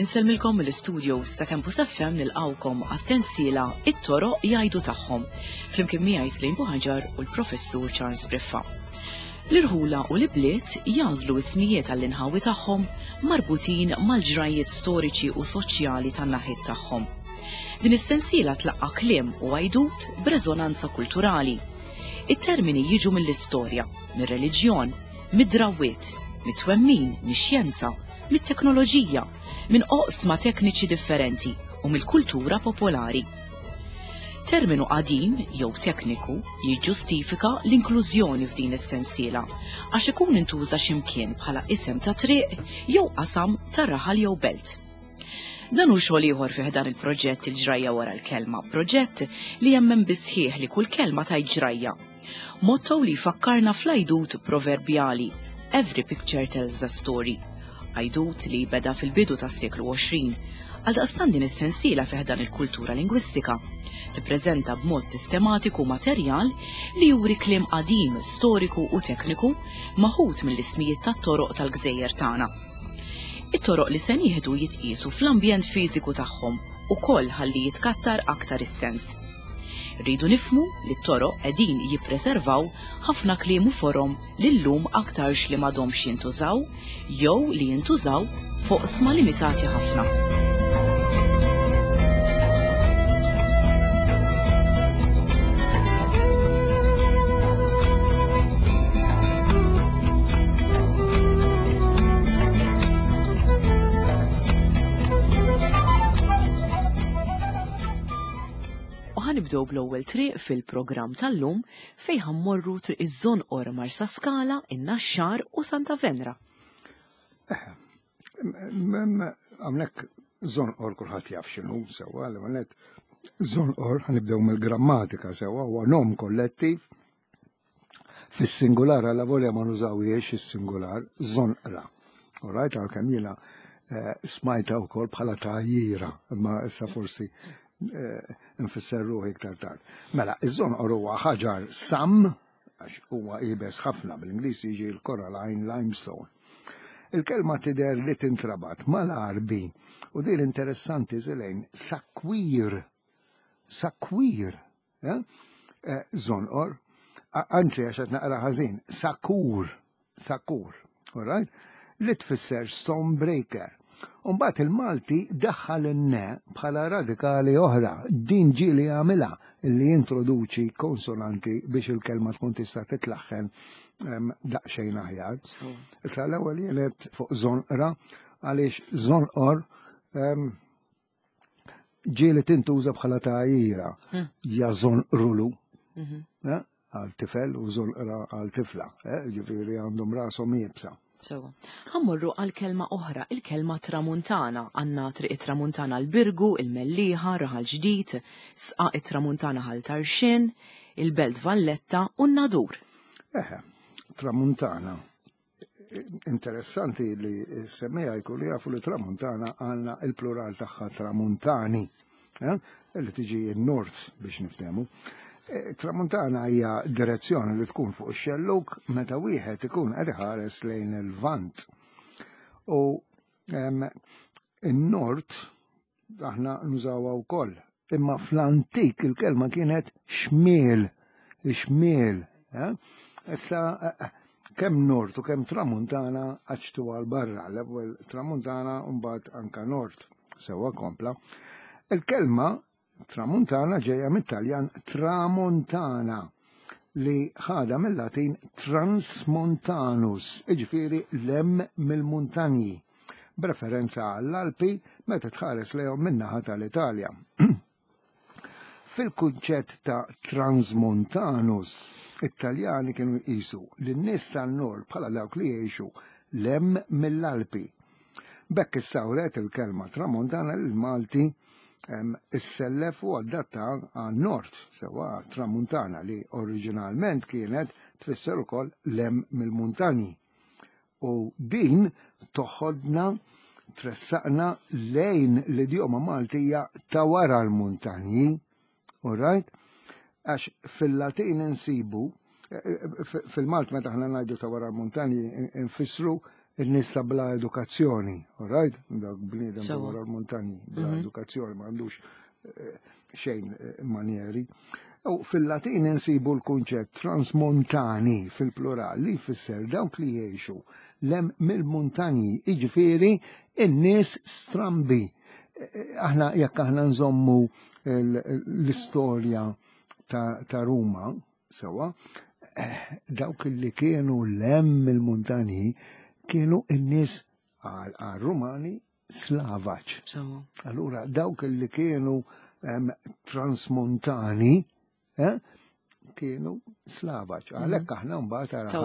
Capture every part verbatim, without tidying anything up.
Insellmilkom mill-studios ta' Campus F M nilqawkom għas-sensiela It-Toroq Jgħidu Tagħhom, flimkien miegħi Slim Buhaġar u l-Professur Charles Briffa. L-irħula u l-ibliet jażlu ismijiet għall-inħawi tagħhom marbutin mal-ġrajiet storiċi u soċjali tan-naħiet tagħhom. Din is-sensiela tlaqqa' kliem u għajdut b'reżonanza kulturali. It-termini jiġu mill-istorja, mir-reliġjon, mid-drawwiet, mit-twemmin, mix-xjenza, mit-teknoloġija, minn oqsma tekniċi differenti u mill-kultura popolari. Terminu qadim jew tekniku jiġġustifika l-inklużjoni f'din is-sensiela għax ikun intuża x'imkien bħala isem ta' triq jew qasam ta' raħal jew belt. Dan hu xogħol ieħor fih dan il-proġett Il-Ġrajja Wara l-Kelma, proġett li jemmen bisħieħ li kull kelma tajt ġrajja. Motto li jfakkarna fl-għajdut proverbjali Every picture tells a story. Għajdut li beda fil-bidu tas-seklu għoxrin, għaldaqstant din is-sensiela fih dan il-kultura lingwistika tippreżenta b'mod sistematiku materjal li juri kliem qadim, storiku u tekniku maħud mill-ismijiet tat-toroq tal-gżejjer tagħna. It-toroq li se nieħdu jitqiesu fl-ambjent fiżiku tagħhom ukoll ħalli jitkattar aktar is-sens. Rridu nifhmu li t-toroq qegħdin jippreservaw ħafna kliem u forom li llum aktarx li m'għadhomx jintużaw jew li jintużaw fuq sma limitati ħafna. Nibdew bl-ewwel triq fil-programm tal-lum fejn ħammorru triq iż-Żonqor, Marsaskala, in-Naxxar u Santa Venera. Hawnhekk Żonqor kulħadd jaf x'inhu sewwa, l-ewwel nett Żonqor ħanibdew mill-grammatika sewwa, huwa nom kollettiv. Fis-singular alla volja ma nużawhiex is-singular, żonqra. All right, għalkemm jiena, eh, smajta wkoll bħala tgħajjira, imma issa forsi nfisser ruħi iktar tard. Mela, iż-żonqor huwa ħaġar sam, għax huwa iebes ħafna, bl-Ingliż jiġi l-coralline limestone. Il-kelma tidher li tintrabat mal-Għarbi, u din interessanti żilejn, sakwir, sakwir, eh? Eh, żonqor, a-, anzi għax qed naqra ħażin, sakur, sakur, all right? Li tfisser stone breaker. Umbagħad il-Malti daħħal in-ne bħala radikali oħra, din ġieli għamilha li jintroduċi konsonanti biex il-kelma tkun tista' titlaħħen, ehm, daqsxejn aħjar. Sewa. Issa l-ewwel jenet fuq żonqra għaliex żonqor, ehm, ġieli tintuża bħala tgħajjira. Hmm. Ja żonqrulu, Mhm. eh, għal tifel u żonqra għal tifla, eh, ġifieri għandhom rashom iebsa. Sewa. Ħammorru għal kelma oħra, il-kelma tramuntana. Għandna triq it-tramuntana l-Birgu, il-Mellieħa, Raħal Ġdid, Sqaq it-Tramuntana Ħal Tarxien, il-Belt Valletta u n-Nadur. Eħe, tramuntana. Interessanti li semmejha jkunu jafu li tramuntana għandna il-plural tagħha tramuntani, eh? Li tiġi n-nord biex niftehmu. E, Tramuntana hija direzzjoni li tkun fuq ix-xellug meta wieħed ikun qed iħares lejn il-Lvant. U, em, in-nord aħna nużawha wkoll. Imma fl-antik il-kelma kienet xmiel, xmiel, eh? Issa, eh, eh, kemm nord u kemm tramuntana għaċtu għal barra, l-ewwel tramuntana u mbagħad anka nord, sewwa kompla. Il-kelma tramuntana ġejja mit-Taljan tramontana li ħadha mill-Latin transmontanus, jiġifieri lem mill-muntanji, b'referenza għall-Alpi meta tħares lejhom min-naħa tal-Italja. Fil-kunċett ta' transmontanus, it-Taljani kienu jqisu lin-nies tan-nord bħala dawk li jgħixu lem mill-Alpi. B'hekk issawret il-kelma tramontana lil Malti, em, issellef u adatta għan-nord, sewwa tramuntana li oriġinalment kienet tfisser ukoll lem mill-muntanji. U din toħodna tressaqna lejn l-idjoma Maltija ta' wara l-muntanji, all right? Għax fil-Latin insibu, fil-Malt meta aħna ngħidu ta' wara l-muntanji nfissru n-nies ta' bla edukazzjoni, all right? Dak bniedem ta' wara l-muntanji, bla edukazzjoni, ma għandux xejn manieri. U fil-Latin insibu l-kunċett transmontani fil-plural li jfisser dawk li jgħixu lem mill-muntanji, jiġifieri n-nies strambi. Aħna jekk aħna nżommu l-istorja ta' Ruma, sewa, dawk li kienu lem mill-muntanji kienu n-nies għal-Rumani slavaċ. Allura dawk li kienu transmontani kienu slavaċ. Għalhekk aħna mbagħad għara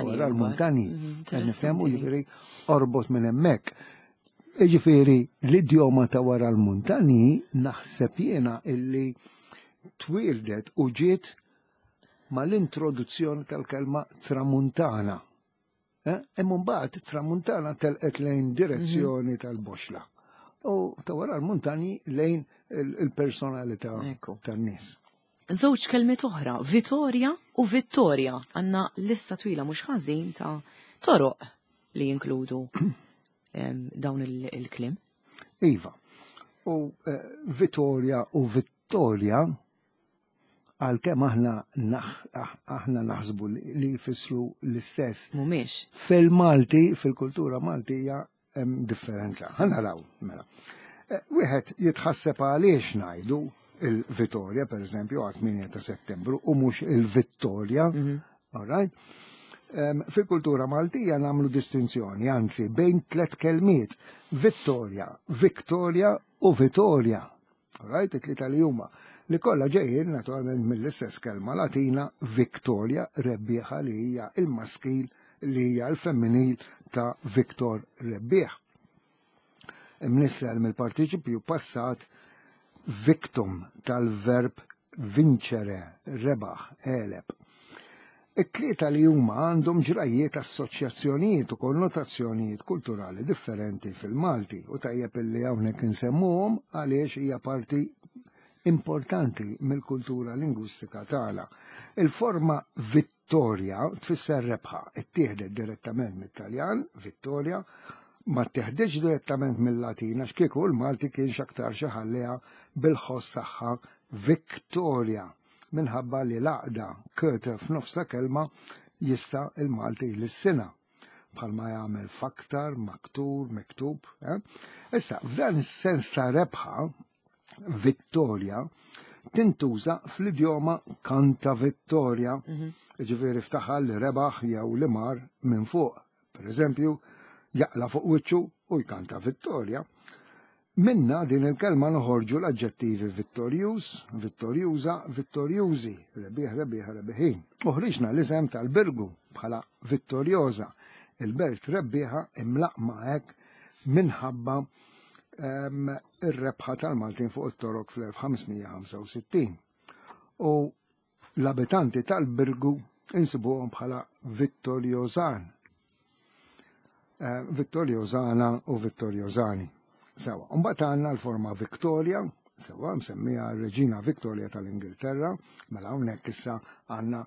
wara l-muntanji. Nifhemu jiġifieri orbot minn hemmhekk. Jiġifieri l-idjoma ta' wara l-muntanji naħseb jiena illi twieldet u ġiet mal-introduzzjoni tal-kelma tramuntana. Imma mbagħad tramuntana telqet lejn direzzjoni tal-boxla. U ta' wara l-muntanji lejn il-personalità tan-nies. Żewġ kelmiet oħra, Vittoria u Vittoria, għandna lista twila mhux ħażin ta' toroq li jinkludu dawn il-kliem. Iva. U Vittoria u Vittoria għalkemm aħna aħna naħsbu li jfissru l-istess. Mhumiex. Fil-Malti, fil-kultura Maltija hemm differenza. Ħa naraw, mela. Wieħed jitħasseb għaliex ngħidu il-Vittoria, per eżempju, għal tmienja ta' settembru, u mhux il-Vittoria, all right? Fil-kultura Maltija nagħmlu distinzjoni, anzi, bejn tliet kelmiet, Vittoria, Victoria u Vittoria, all right? It-tlieta li huma, li kollha ġejjin naturalment mill-istess kelma Latina Victoria, rebbieħa li hija il-maskil li hija l-femminil ta' Victor rebbieħ. Imnissel mill-partiċipju passat victum tal-verb vincere, rebaħ, għeleb. It-tlieta li huma għandhom ġrajiet, assoċjazzjonijiet u konnotazzjonijiet kulturali differenti fil-Malti u tajjeb illi hawnhekk insemmuhom għaliex hija parti importanti mill-kultura lingwistika tagħna. Il-forma Vittoria tfisser rebħa, ittieħdet direttament mit-Taljan, Vittoria, ma ttieħditx direttament mill-Latin għax kieku l-Malti kien x'aktar xi ħalliha bil-ħoss tagħha Victoria minħabba li l-għaqda kete f'nofsa kelma jista' il-Malti l-sina bħalma jagħmel faktar, maktur, miktub. Issa, f'dan is-sens ta' rebħa, Vittoria tintuża fl-idjoma kanta Vittoria, ġifieri ftaħal li rebaħ jew li mar minn fuq. Per eżempju, jaqla fuq wiċċu u jkanta Vittoria. Minna din il-kelma noħorġu l-aġġettivi vittorjuż, vittorjuża, vittorjużi, rebbieħ, rebbieħ, rebbieħin. Uħriġna l-isem tal-Birgu bħala Vittorjosa, il-belt rebbieħa imlaqma hekk minħabba ir-rebħa tal-Maltin fuq it-Torok fl-elf ħamsmija ħamsa u sittin. U l-abitanti tal-Birgu insibuhom bħala Vittorjosan. Vittorjosana u Vittorjosani. Sewa, mbagħad għandna l-forma Victoria, sewa msemmija r-Reġina Victoria tal-Ingilterra, mela hawnhekk issa għandna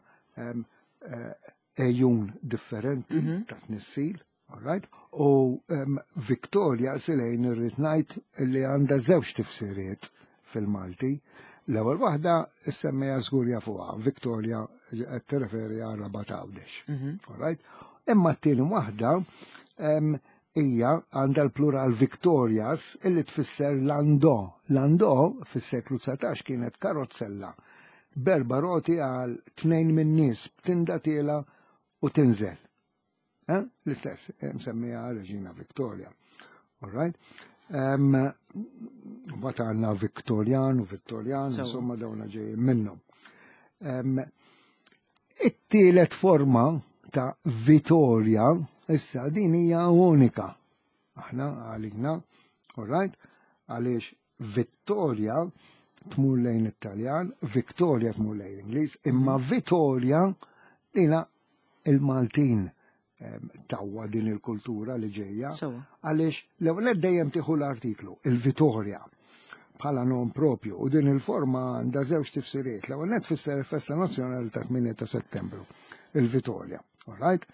ejjun differenti ta' tnissil, all right? U Victoria silejn irrid ngħid li għandha żewġ tifsiriet fil-Malti. L-ewwel waħda issemmejha żgur jafuha, Victoria qed tirreferi għal Rabat Għawdex. All right? Imma t-tieni waħda hija għandha l-plural Victorias illi tfisser landò. Landò fis-seklu dsatax kienet karozzella b'erba' roti għal tnejn min-nies b'tinda tiela u tinżel. L-istess msemmija Reġina Victoria. All right? Mbagħad għandna Victorian u Vittorian, insomma dawna ġejjin minnhom. It-tielet forma ta' Vittoria issa din hija unika. Aħna għalina, all right? Għaliex Vittoria tmur lejn it-Taljan, Victoria tmur lejn l-Ingliż, imma Vittoria dina il-Maltin tawwa din il-kultura li ġejja. Għaliex l-ewwel dejjem tieħu l-artiklu, il-Vittoria. bħala nom propju, u din il-forma għandha żewġ tifsiriet. L-ewwel nett tfisser il-festa nazzjonali ta' tmienja ta' Settembru, il-Vitorja. All right?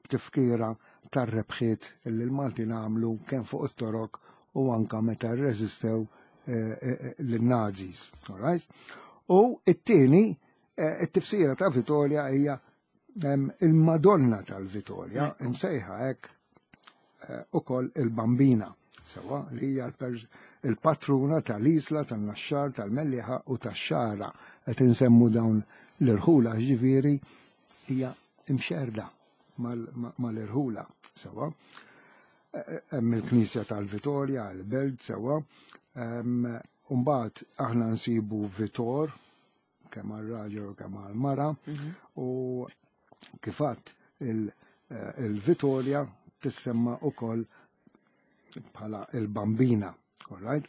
Tifkira tar-rebħiet li l-Maltin għamlu kemm fuq it-Torok u anka meta rreżistew lin-Nazis. All right? U it-tieni, it-tifsira ta' Vitorja hija il-Madonna tal-Vitorja, imsejħa hekk ukoll il-Bambina, sewa li hija il-patruna tal-Isla, tan-Naxxar, tal-Mellieħa u tax-Xagħra. Qed insemmu dawn l-irħula, ġifieri hija imxerda mal-irħula, sewa. Hemm il-Knisja tal-Vitorja, il-Belt, sewa. Mbagħad aħna nsibu Vitor, kemm għal-raġel u kemm għal-mara, u kif għedt il-Vitorja tissemma ukoll bħala il-Bambina, all right?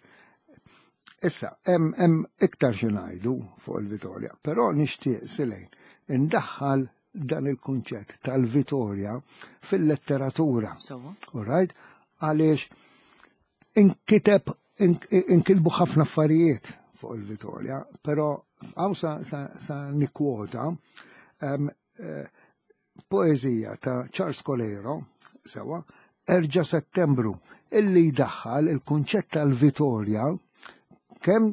Issa, hemm iktar xi ngħidu fuq il-Vitorja, però nixtieq silejn indaħħal dan il-kunċett tal-Vitorja fil-letteratura. All right? Għaliex inkiteb inkitbu ħafna affarijiet fuq il-Vitorja, però hawn sa, sa, sa nikkwota um, eh, poezija ta' Charles Coleiro, sewa, Erġa' Settembru, illi jdaħħal il-kunċett tal-Vitorja kemm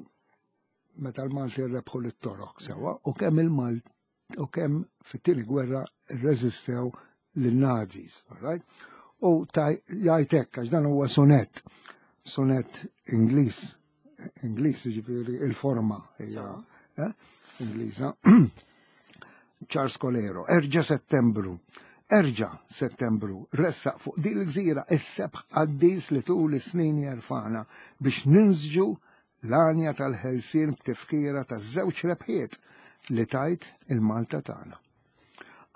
meta l-Malti rebħu lit-Torok, sewa, u kemm il-Malt u kemm fit-tieni gwerra rreżistew lin-Nazis, all right? U jgħid hekk, għax dan huwa sonett, sonett Ingliż, Ingliż ġifieri il-forma hija eh, Ingliża. Charles Coleiro, Erġa' Settembru, Erġa' Settembru, ressaq fuq din il-gżira is-sebħ qaddis li tul is-snin jerfana biex ninsġu l-għanja tal-ħelsien b'tifkira taż-żewġ rebħiet li tajt il-Malta tagħna.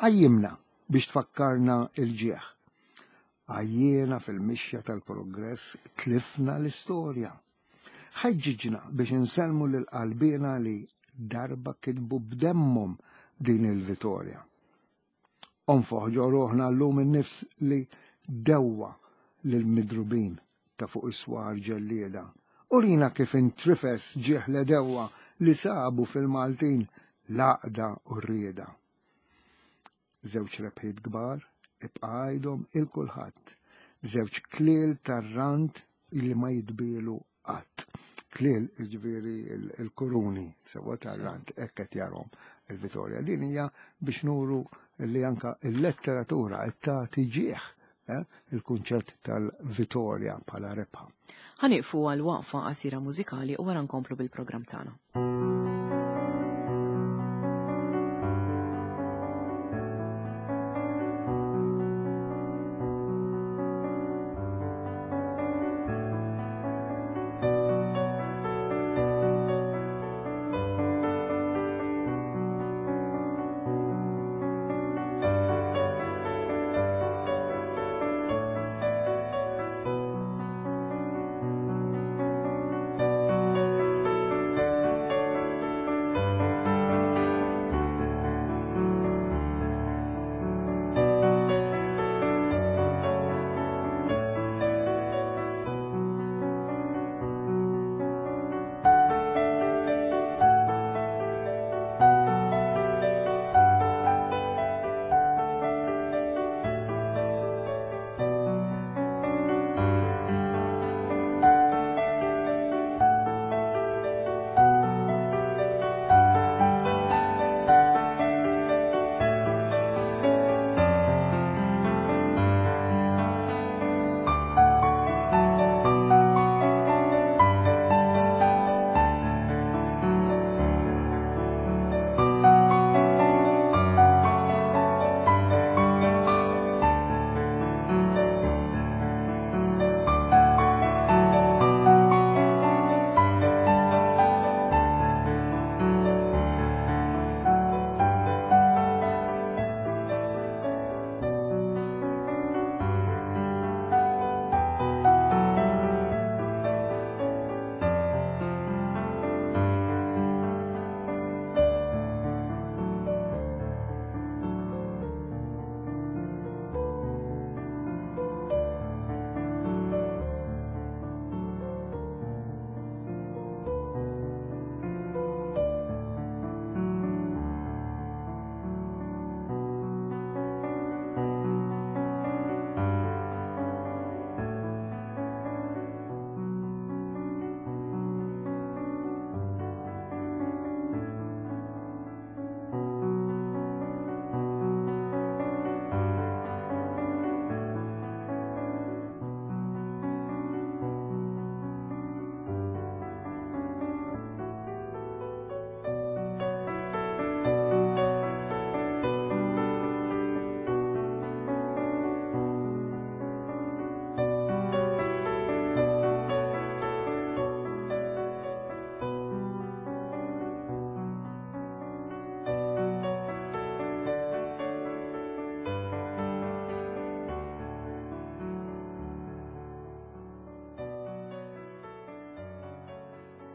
Qajjimna biex tfakkarna il-ġieħ. Għajjiena fil-mixja tal-progress tlifna l-istorja. Ħeġġiġna biex insellmu lil qalbina li darba kitbu b'demmhom din il-Vitorja. Onfoħ ġo ruħna llum in-nifs li dewwa lil-midrubin ta' fuq is-swar ġellieda. Urina kif intrifes ġieħ l-għedewwa li sabu fil-Maltin l-għaqda u r-rieda. Żewġ rebħiet kbar ibqa' għajdhom il kulħadd. Żewġ kliel tar-rand li ma jitbielu qatt. Kliel ġifieri il-kuruni sewa tar-rand hekk qed jarhom il-Vitorja. Din hija biex nuru li anka il-letteratura qed tagħti ġieħ eh, il-kunċett tal-Vitorja bħala rebħa. Ħa nieqfu għal waqfa qasira mużikali u wara nkomplu bil-programm tagħna.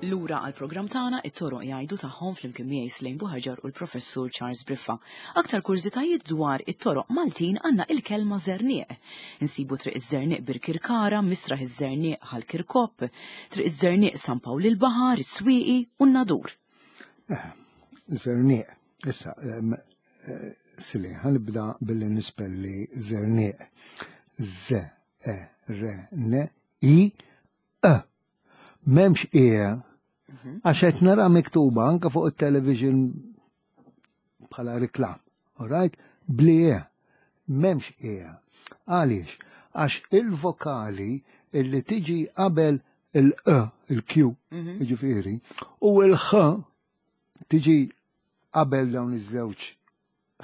Lura għal programm tagħna it-toroq jgħidu tagħhom flimkien miegħi Slejn Buħaġar u l-Professur Charles Briffa. Aktar kurżitajiet dwar it-toroq Maltin għandna il-kelma Żerniq. Insibu triq iż-Żerniq Birkirkara, Misraħ iż-Żerniq Ħal Kirkop, triq iż-Żerniq San Pawl il-Baħar, is-Swieqi u n-Nadur. Eh, Żerniq. Issa, eh, Sili, ħanibda billi nispelli Żerniq. Z, E, R, N, I, E. M'hemmx E Mhm. Għax qed nara miktuba anke fuq it-television bħala reklam. Alright? Bli E. M'hemmx E. Għaliex? Għax il-vokali illi tiġi qabel il-E, il-Q, mhm. ġifieri, u il-H tiġi qabel dawn iż-żewġ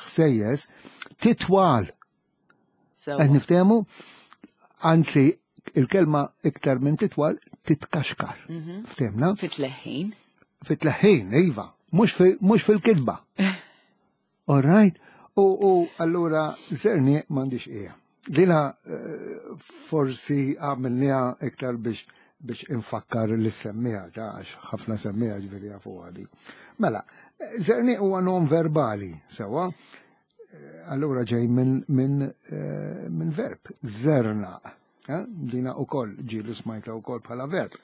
ħsejjes, titwal. Qed niftehmu? Anzi, il-kelma iktar minn titwal titkaxkar. Mhm. Ftehmna? Fit-tleħħin. Fit-tleħħin, iva. Mhux fil-kitba. All right? U, u allura Żerniq m'għandix ija. Dina eh, forsi għamilniha iktar biex biex infakkar li semmija ta' għax ħafna semmija ġifieri jafu għadi. Mela, Żerniq huwa nom verbali, sewa, eh, allura ġej minn min, eh, min verb, zerna. Eh, dina u koll, ġieli smajta u koll bħala verb.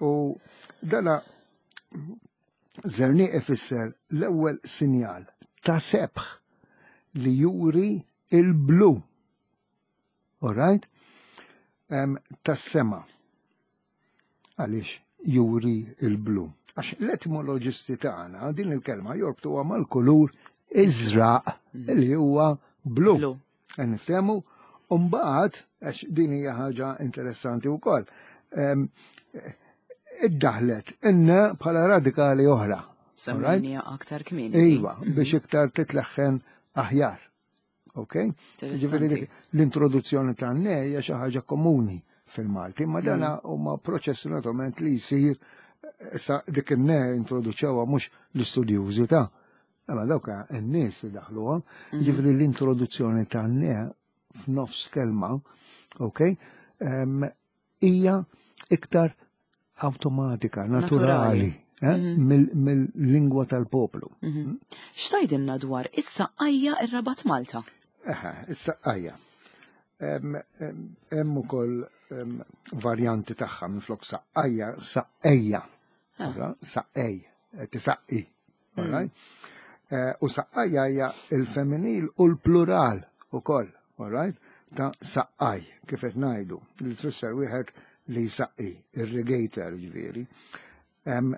U dana Żerniq ifisser l-ewwel sinjal ta' sebħ li juri il-blu. All right? Um, tas-sema. Għaliex juri il-blu? Għax l-etimoloġisti tagħna din il-kelma jorbtuha mal-kulur iżraq mm. li huwa blu. Blu. Niftehmu? Umbagħad, għax din hija ħaġa interessanti wkoll, iddaħlet inna bħala radikali oħra. Semmejniha aktar kmieni. Iva, mhm. biex iktar titleħħen aħjar. Ok? Ġifieri l-introduzzjoni ta' ne hija xi ħaġa komuni fil-Malti, ma dana mm. huma proċess naturalment li jsir issa dik in-ne introduċewha mhux l-istudjużi ta' imma dawk in-nies li daħluha, mhm. ġifieri l-introduzzjoni ta' ne f'nofs kelma, ok, hija iktar awtomatika, naturali, eh, mhm. mill-lingwa tal-poplu. Mhm. X'tgħidilna dwar is-Saqqajja ir-Rabat Malta? Eħe, is-Saqqajja. Hemm ukoll varjanti tagħha minflok saqqajja, saqqejja. Ah. Saqqej, tisaqqi. Mm. Eh, u saqqajja hija il-femminil u l-plural ukoll, all right? Ta' saqqaj, kif qed ngħidu, li tfisser wieħed li jsaqqi, irrigator ġifieri. Um,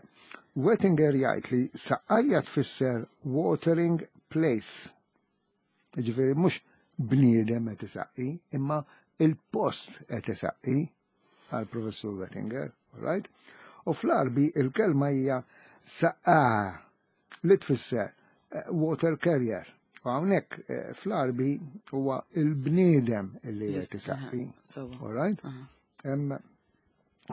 Wettinger jgħid li saqqajja tfisser watering place. Ġifieri mhux bniedem qed isaqqi, imma il-post qed isaqqi għal professur Wettinger, all right? U fl-Arbi il-kelma hija saqqa li tfisser eh, water carrier. U hawnhekk eh, fl-Arbi huwa il-bniedem li qed isaqqi. All right?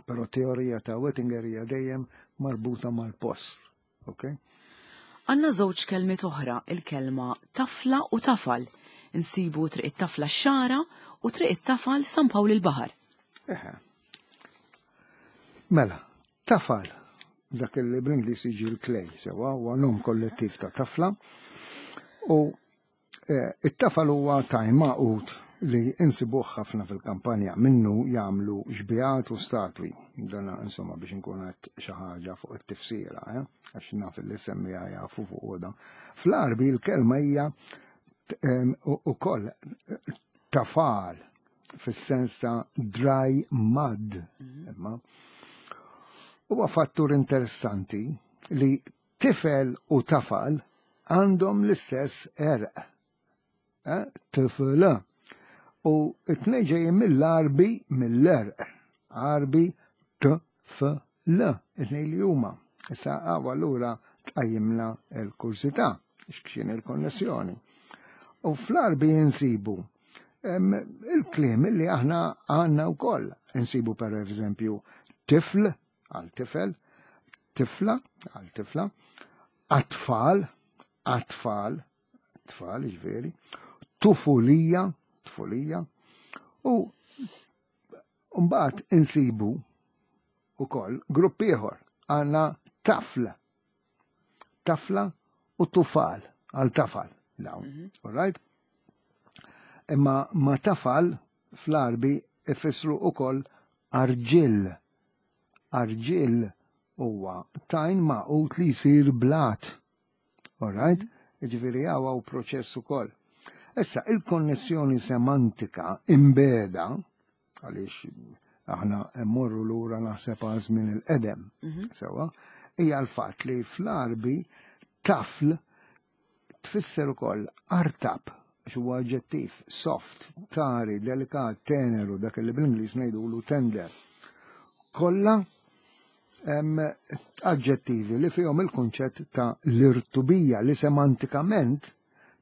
Però teorija ta' Wettinger hija dejjem marbuta mal-post. Okay? Għanna żewġ kelmiet oħra, il-kelma tafla u tafal. Insibu triq it-tafla x-Xagħra u triq it-tafal San Pawl il-Baħar. Eħe. Mela, tafal, dak li bl-Ingliż jiġi l-clay, sewa, huwa nom kollettiv ta' tafla. U eh, it-tafal huwa tajn magħqud li insibuh ħafna fil-kampanja minnu jagħmlu xbiehat u statwi. Dana insomma biex nkun qed xi ħaġa fuq it-tifsira, eh? Għax naf li semmija jafu fuq da. Fl-Arbi l-kelma hija ukoll tafal fis-sens ta' dry mud. Mhm. Imma huwa fattur interessanti li tifel u tafal għandhom l-istess għerq. Eh? Tifla. U it-tnejn ġejjin mill-Arbi mill-għerq. Arbi t f l. It-tnejn li huma. Issa għaw allura tqajjimna l-kursità, x'kien il-konnessjoni. U fl-Arbi insibu il-kliem li aħna għandna wkoll. Insibu per eżempju tifl għal tifel, tifla għal tifla, atfal, atfal, tfal ġifieri, tufulija, tfulija, u mbagħad insibu ukoll grupp ieħor, Għandna tafl, tafla u tufal, għal tafal. Dawn, mm -hmm. All right? Imma ma tafal fl-Arbi ifissru ukoll arġill. Arġill huwa tajn maqut li jsir blat. All right? Ġifieri hawn proċess ukoll. Issa, il-konnessjoni semantika imbeda, għaliex aħna mmorru lura naħseb għal żmien il-qedem, mhm. sewwa, hija l-fatt li fl-Arbi tafl tfisser ukoll artab, għax huwa aġġettiv, soft, tari, delikat, teneru, dak li bl-Ingliż ngħidulu tender. Kollha aġġettivi li fihom il-kunċett ta' l-irtubija li semantikament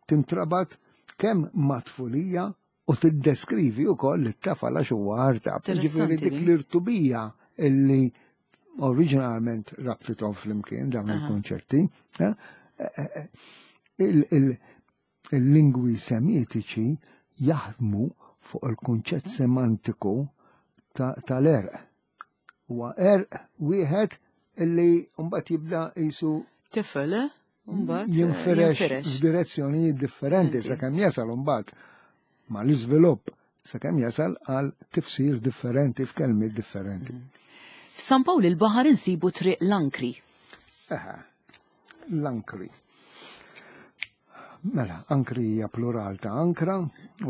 tintrabat kemm mat-tfulija u tiddeskrivi wkoll it-tafal għax huwa artab. Ġifieri dik l-irtubija illi oriġinalment rabtithom flimkien dawn il-kunċetti. Eh, eh, eh, il-lingwi semitiċi jaħdmu fuq il-kunċett semantiku tal-għerq. Huwa għerq wieħed illi mbagħad jibda jisu tifel, mbagħad jinfirex f'direzzjonijiet differenti sakemm jasal mbagħad ma l-iżvilupp sakemm jasal għal tifsir differenti f'kelmiet differenti. Mm. F'San Pawl il-Baħar insibu triq l-Ankri. Eħe, l-Ankri. Mela, ankri hija plural ta' ankra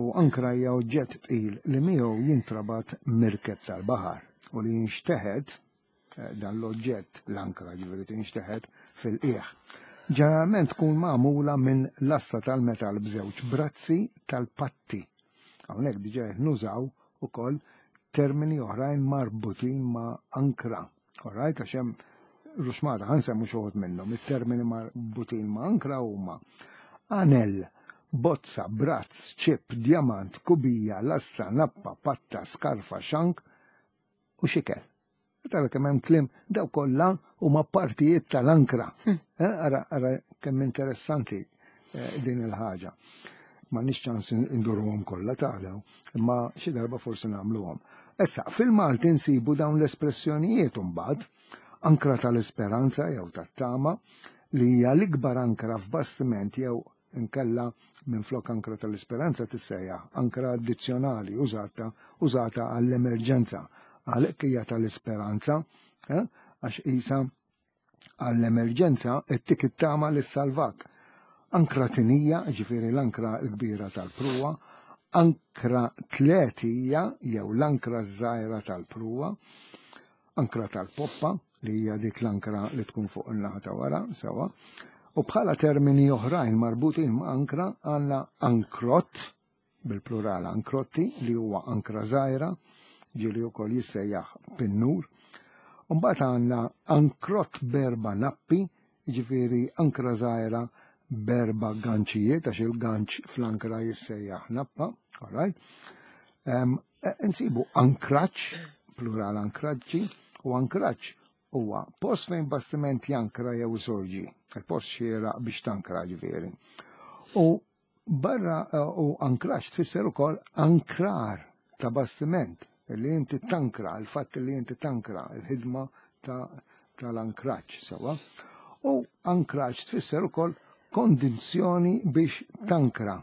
u ankra hija oġġett tqil li miegħu jintrabat mirkeb tal-baħar u li jinxteħet eh, dan l-oġġett l-ankra ġifieri tinxteħet fil-qiegħ. Ġeneralment tkun magħmula minn lasta tal-metal b'żewġ brazzi tal-patti. Hawnhekk diġà nużaw ukoll termini oħrajn marbutin ma' ankra. Alright, għax hemm ruxmata, ħa nsemmu xi wħud minnhom, it-termini marbutin ma' ankra huma anel, bozza, brazz, ċip, djamant, kubija, lasta, nappa, patta, skarfa, xank u xikel. Tara kemm hemm kliem daw kollha huma partijiet tal-ankra. Hmm. Eh, ara, ara kemm interessanti eh, din il-ħaġa. Ma nix ċans indurhom kollha tagħlew, imma xi darba forsi nagħmluhom. Issa, fil-Malti nsibu dawn l-espressjonijiet imbagħad, ankra tal-esperanza jew tat-tama, li hija l-ikbar ankra f'bastiment jew inkella minn flok ankra tal-esperanza tissejjaħ ankra addizzjonali użata użata għall-emerġenza. Għalhekk hija tal-esperanza, eh, għax isa għall-emerġenza ittik it-tama li salvak. Ankra tinija, ġifieri l-ankra l-kbira tal-pruwa, ankra tletija jew l-ankra żgħira tal-pruwa, ankra tal-poppa li hija dik l-ankra li tkun fuq in-naħa ta' wara, sewa. U bħala termini oħrajn marbutin ma' ankra għandna ankrott, bil-plural ankrotti, li huwa ankra żgħira, ġieli wkoll jissejjaħ pinnur. Mbagħad għandna ankrott berba nappi, ġifieri ankra żgħira berba ganċijiet, għax il-ganċ fl-ankra jissejjaħ nappa, all right? Um, nsibu ankraċ, plural ankraġġi, u ankraċ huwa post fejn bastiment jankra jew sorġi, il-post xieraq biex tankra ġifieri. U barra u ankraċ tfisser ukoll ankrar ta' bastiment, li inti tankra, il-fatt li inti tankra, il-ħidma tal-ankraċ, sewa. U ankraċ tfisser ukoll kondizzjoni biex tankra.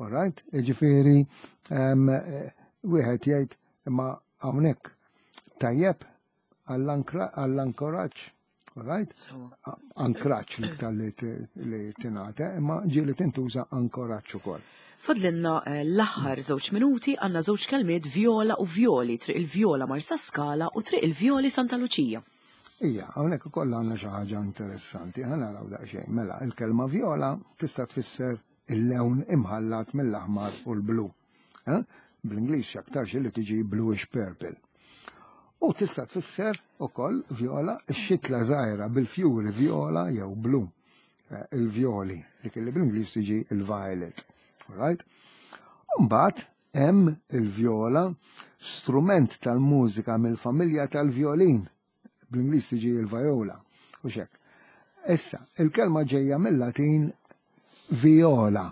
All right? Ġifieri, wieħed jgħid imma hawnhekk tajjeb għall-ankoraġġ, all right? Ankraġġ l-iktar li tingħata, imma ġieli tintuża ankoraġġ ukoll. Fadlinna eh, l-aħħar żewġ minuti għandna żewġ kelmiet vjola u vjoli, triq il-Vjola Marsa Skala u triq il-Vjoli Santa Luċija. Ija, hawnhekk ukoll għandna xi ħaġa interessanti, ħa naraw daqsxejn. Mela, il-kelma vjola tista' tfisser il-lewn imħallat mill-aħmar u l-blu. Eh? Bl-Ingliż aktarx li tiġi bluish purple. U tista' tfisser ukoll vjola x-xitla żgħira bil-fjuri vjola jew blu. Eh, il-vjoli, dik li bl-Ingliż tiġi il-violet. Right? Mbagħad hemm il-vjola, strument tal-mużika mill-familja tal-vjolin. Bl-Ingliż tiġi il-viola. U xek. Issa, il-kelma ġejja mill-Latin viola,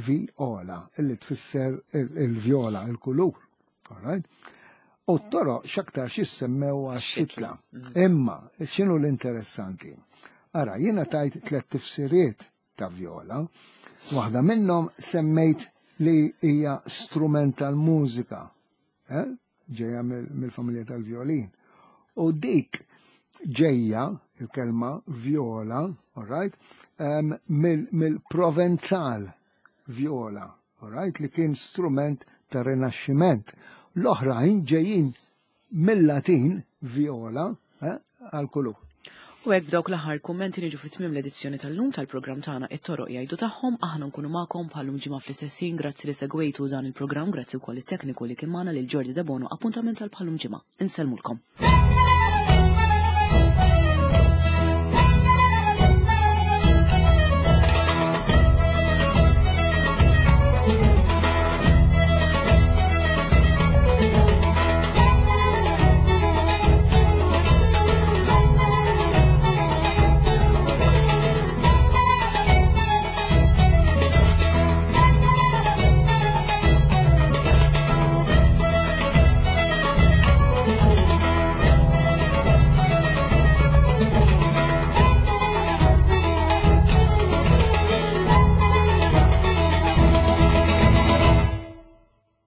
viola, illi tfisser il-vjola, il-kulur. All right? U t-toroq x'aktar jissemmew għax-xitla. Imma, x'inhu l-interessanti? Ara, jiena tajt tliet tifsiriet ta' viola. Waħda minnhom semmejt li hija strument tal-mużika. Eh? Ġejja mill-familja tal-violin. U dik ġejja, il-kelma viola, all right, um, mill-Provenzal viola, all right, li kien strument ta' rinaxximent. L-oħrajn ġejjin mill-Latin viola, eh, għal-kulur. U hekk b'dawk l-aħħar kummenti niġu fi tmiem l-edizzjoni tal-lum tal-programm tagħna It-Toroq Jgħidu Tagħhom. Aħna nkunu magħkom bħal-lum ġimgħa fl-istess ħin. Grazzi li segwejtu dan il-programm, grazzi wkoll it-tekniku li kien magħna, lil Jordi Debono. Appuntament tal bħal-lum ġimgħa. Insellmulkom.